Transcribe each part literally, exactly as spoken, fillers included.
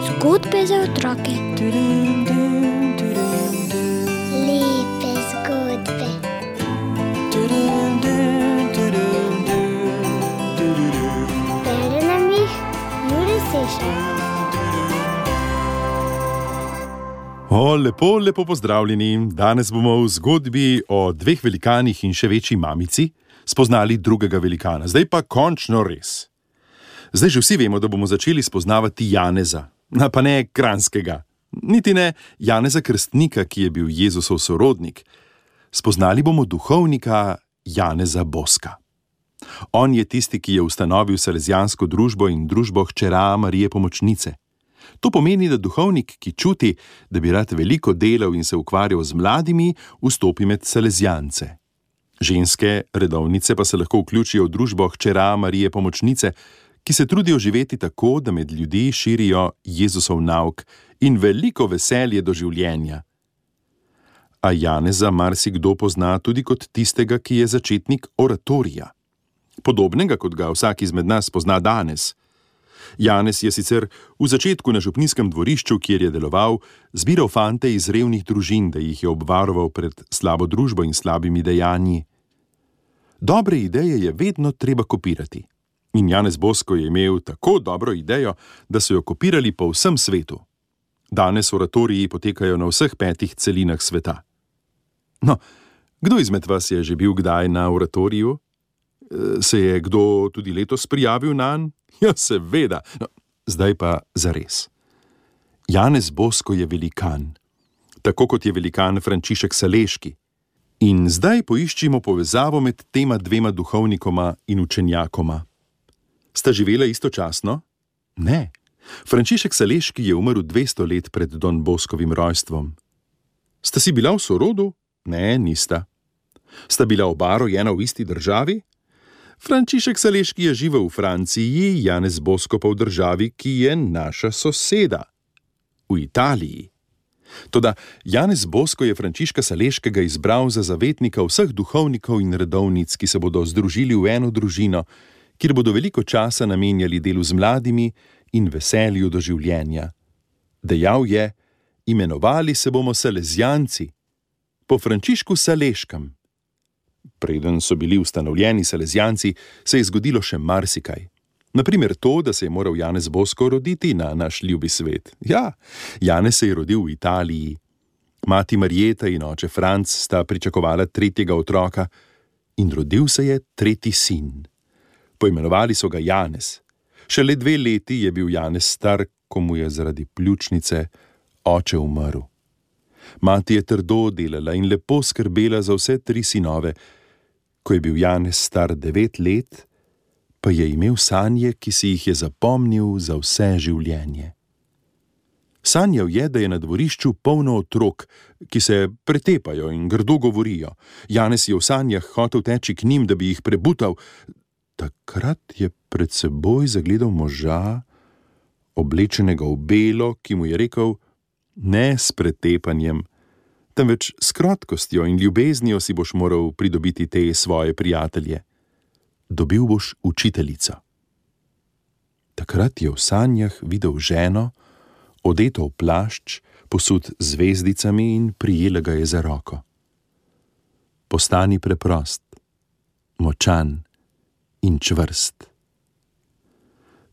Zgodbe za otroke. Lepe zgodbe. Bere nam jih Jure Sešar. O, lepo, lepo pozdravljeni. Danes bomo v zgodbi o dveh velikanih in še večji mamici spoznali drugega velikana. Zdaj pa končno res. Zdaj že vsi vemo, da bomo začeli spoznavati Janeza, pa ne Kranjskega, niti ne Janeza Krstnika, ki je bil Jezusov sorodnik. Spoznali bomo duhovnika Janeza Boska. On je tisti, ki je ustanovil Salezijansko družbo in družbo hčera Marije Pomočnice. To pomeni, da duhovnik, ki čuti, da bi rad veliko delal in se ukvarjal z mladimi, vstopi med salezijance. Ženske redovnice pa se lahko vključijo v družbo hčera Marije Pomočnice, ki se trudijo živeti tako, da med ljudi širijo Jezusov nauk in veliko veselje do življenja. A Janeza marsikdo pozna tudi kot tistega, ki je začetnik oratorija. Podobnega, kot ga vsak izmed nas pozna danes. Janez je sicer v začetku na župnijskem dvorišču, kjer je deloval, zbiral fante iz revnih družin, da jih je obvaroval pred slabo družbo in slabimi dejanji. Dobre ideje je vedno treba kopirati. In Janez Bosko je imel tako dobro idejo, da so jo kopirali po vsem svetu. Danes oratoriji potekajo na vseh petih celinah sveta. No, kdo izmed vas je že bil kdaj na oratoriju? Se je kdo tudi letos prijavil nanj? Ja, seveda. No, zdaj pa zares. Janez Bosko je velikan, tako kot je velikan Frančišek Saleški. In zdaj poiščimo povezavo med tema dvema duhovnikoma in učenjakoma. Sta živela istočasno? Ne. Frančišek Saleški je umrl dvesto let pred Don Boskovim rojstvom. Sta si bila v sorodu? Ne, nista. Sta bila oba rojena v isti državi? Frančišek Saleški je živel v Franciji, Janez Bosko pa v državi, ki je naša soseda. V Italiji. Toda Janez Bosko je Frančiška Saleškega izbral za zavetnika vseh duhovnikov in redovnic, ki se bodo združili v eno družino, kjer bodo veliko časa namenjali delu z mladimi in veselju do življenja. Dejal je, imenovali se bomo Salezijanci, po Frančišku Saleškem. Preden so bili ustanovljeni Salezijanci, se je zgodilo še marsikaj. Naprimer to, da se je moral Janez Bosko roditi na naš ljubi svet. Ja, Janez se je rodil v Italiji. Mati Marjeta in oče Franc sta pričakovala tretjega otroka in rodil se je tretji sin. Poimenovali so ga Janez. Šele dve leti je bil Janez star, ko mu je zaradi pljučnice oče umrl. Mati je trdo delala in lepo skrbela za vse tri sinove. Ko je bil Janez star devet let, pa je imel sanje, ki si jih je zapomnil za vse življenje. Sanjal je, da je na dvorišču polno otrok, ki se pretepajo in grdo govorijo. Janez je v sanjah hotel teči k njim, da bi jih prebutal. Takrat je pred seboj zagledal moža, oblečenega v belo, ki mu je rekel, ne s pretepanjem, temveč s krotkostjo in ljubeznijo si boš moral pridobiti te svoje prijatelje. Dobil boš učiteljico. Takrat je v sanjah videl ženo, odeto v plašč, posut z zvezdicami in prijela ga je za roko. Postani preprost, močan in čvrst.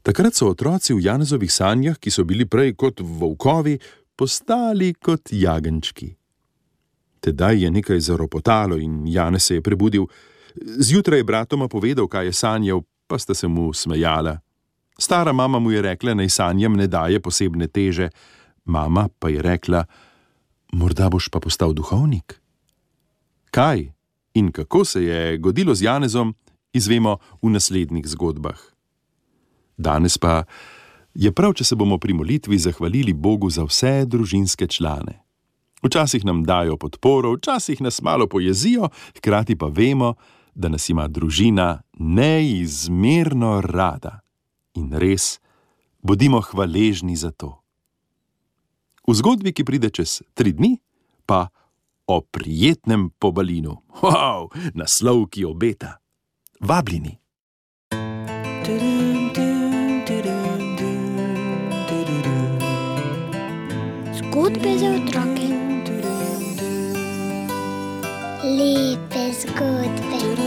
Takrat so otroci v Janezovih sanjah, ki so bili prej kot volkovi, postali kot jagenjčki. Tedaj je nekaj zaropotalo in Janez se je prebudil. Zjutraj je bratoma povedal, kaj je sanjal, pa sta se mu smejala. Stara mama mu je rekla, naj sanjam ne daje posebne teže. Mama pa je rekla, morda boš pa postal duhovnik. Kaj in kako se je godilo z Janezom, izvemo v naslednjih zgodbah. Danes pa je prav, če se bomo pri molitvi zahvalili Bogu za vse družinske člane. Včasih nam dajo podporo, včasih nas malo pojezijo, hkrati pa vemo, da nas ima družina neizmerno rada. In res, bodimo hvaležni za to. V zgodbi, ki pride čez tri dni, pa o prijetnem pobalinu. Wow, naslov, ki obeta. Vabljeni. Zgodbe za otroke. Lepe zgodbe.